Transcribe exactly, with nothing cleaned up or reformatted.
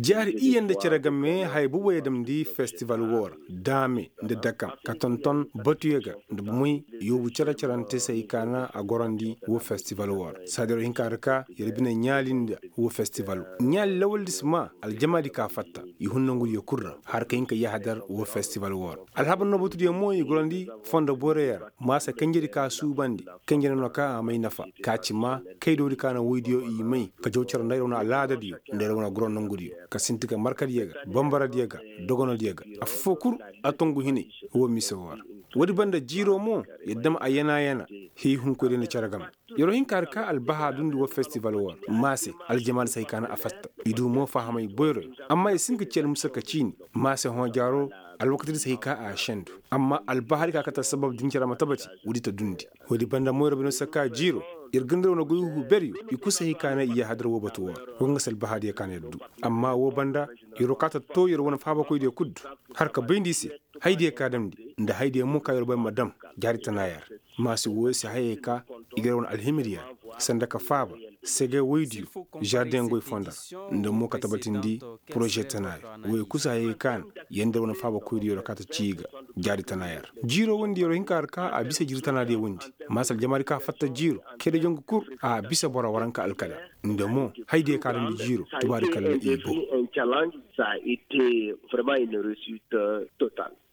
Jaari iyye nda cere game haya boobo ye damndi festival woo ra, daame nda dakam ka tonton batuyo ga nda bomey yoobu cere-cerante se hay ka na a gorandi woo festival woo ra saadi yer wo hinka nda ka yer bine ɲaali nda woo festival ɲaali lawaldi si maa aljamaadi ka fatta i hun nongudiyo kul ra har ka hin ka yahadar woo festival woo ra. Alhabar noo batudiyo mo i gorandi fondo boyroyo ra maasa kanjedi ka suubandi kanjedi no ka a may nafa ka ci maa kaydoodi ka na woydiyo i may ka jaw cere nda yer wane alaadadiyo nda yer wane goro nongudiyo ka sinti ga markadiyo ga bambaradiyo ga dogonodiyo ga affoo kul a tongu hinay woo mise woo ra. Woodi banda jiiroo mo yer dam a yana-yana hii hunkoydiyo nda cere game. Yer wo hin ka har ka albahaa dundi woo festival woo ra maa se aljamaadi se hay ka na a fatta i du mo fahamay boyroyo amma i si hin ka ci almusa ka ciini maa se hõ jaaroo alwakatidi se hay ka a sendu amma albahaadi ka kate assabab din cere ma tabati woodi ta dundi. Woodi banda mo yer wo bine se ka jiiroo yer ga nda yer wane goy huuberyo i kul se hay ka na i yahadar woo batu woo ra woo ga nga se albahaadiyo ka na yer du. Amma woo banda yer wo kaa ta too yer wane faabakoydiyo kul du har ka bay nda i se hayadiyo ka damndi nda hayadiyo mo ka yer wo bay ma dam jaari tanaaya ra. Maasi wooyo se hayey ka i ga yer wane alhimiriya ra sanda ka faaba sege woydiyo zardiŋ goy fonda ra nda mo ka tabatindi poroze tanaaya wooyo kul se hayey ka na yer nda yer wane faabakoydiyo ra kaa ta cii ga jaari tanaaya ra. Jiiroo wondi yer wo hin ka har ka a bisa jiiri tanaadiyo wondi maasi aljamaadi ka fatta jiiroo kayda jongu kul a bisa boro waranka alkada nda mo hayadiyo ka damndi jiiroo tubaadi kalla i bow. Sa ite vraiment une réussite totale.